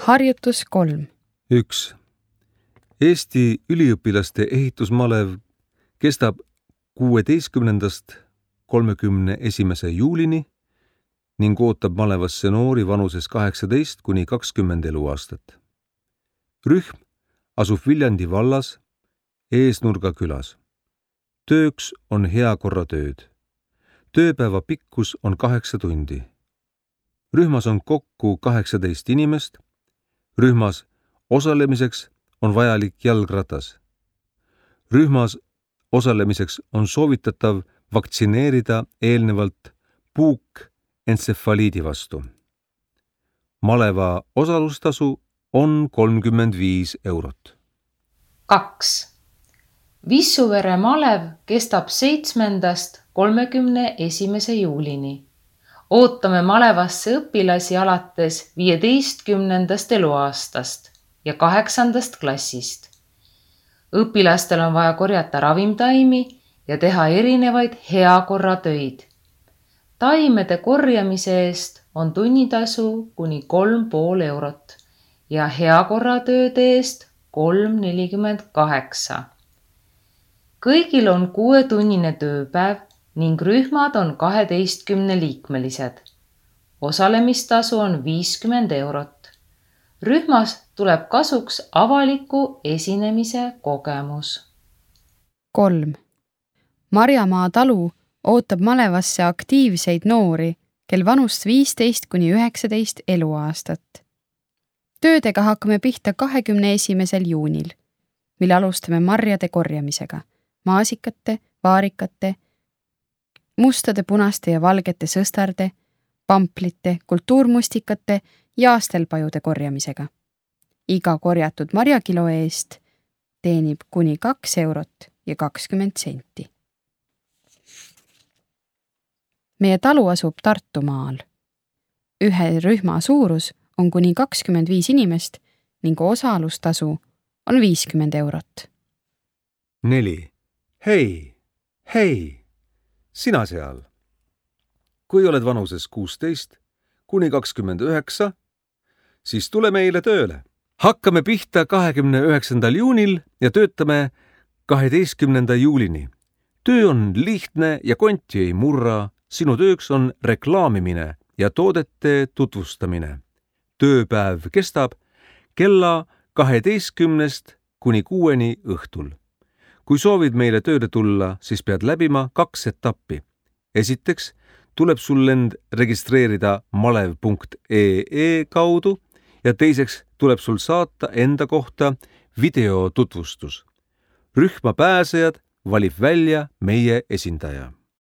Harjutus 3. 1. Eesti üliõpilaste ehitusmalev kestab 16. 31. juulini ning ootab malevasse noori vanuses 18 kuni 20 eluaastat. Rühm asub Viljandi vallas Eesnurga külas. Tööks on heakorratööd. Tööpäeva pikkus on 8 tundi. Rühmas on kokku 18 inimest. Rühmas osalemiseks on vajalik jalgratas. Rühmas osalemiseks on soovitatav vaktsineerida eelnevalt puukentsefaliidi vastu. Maleva osalustasu on 35 eurot. 2. Vissuvere malev kestab 7. 31. juulini. Ootame malevasse õpilasi alates 15. eluaastast ja 8. klassist. Õpilastel on vaja korjata ravimtaimi ja teha erinevaid heakorratöid. Taimede korjamise eest on tunnitasu kuni 3,5 eurot ja heakorratööde eest 3,48. Kõigil on 6-tunnine tööpäev ning rühmad on 12-liikmelised. Osalemistasu on 50 eurot. Rühmas tuleb kasuks avaliku esinemise kogemus. 3. Marjamaa talu ootab malevasse aktiivseid noori, kel vanust 15 kuni 19 eluaastat. Töödega hakkame pihta 21. juunil, mil alustame marjade korjamisega, maasikate, vaarikate, mustade, punaste ja valgete sõstarde, pamplite, kultuurmustikate ja astelpajude korjamisega. Iga korjatud marjakilo eest teenib kuni 2 eurot ja 20 senti. Meie talu asub Tartumaal. Ühe rühma suurus on kuni 25 inimest ning osalustasu on 50 eurot. 4. Hei, sina seal. Kui oled vanuses 16 kuni 29, siis tule meile tööle. Hakkame pihta 29. juunil ja töötame 12. juulini. Töö on lihtne ja konti ei murra. Sinu tööks on reklaamimine ja toodete tutvustamine. Tööpäev kestab kella 12 kuni 6 õhtul. Kui soovid meile tööle tulla, siis pead läbima 2 etappi. Esiteks tuleb sul end registreerida malev.ee kaudu ja teiseks tuleb sul saata enda kohta videotutvustus. Rühma pääsejad valib välja meie esindaja.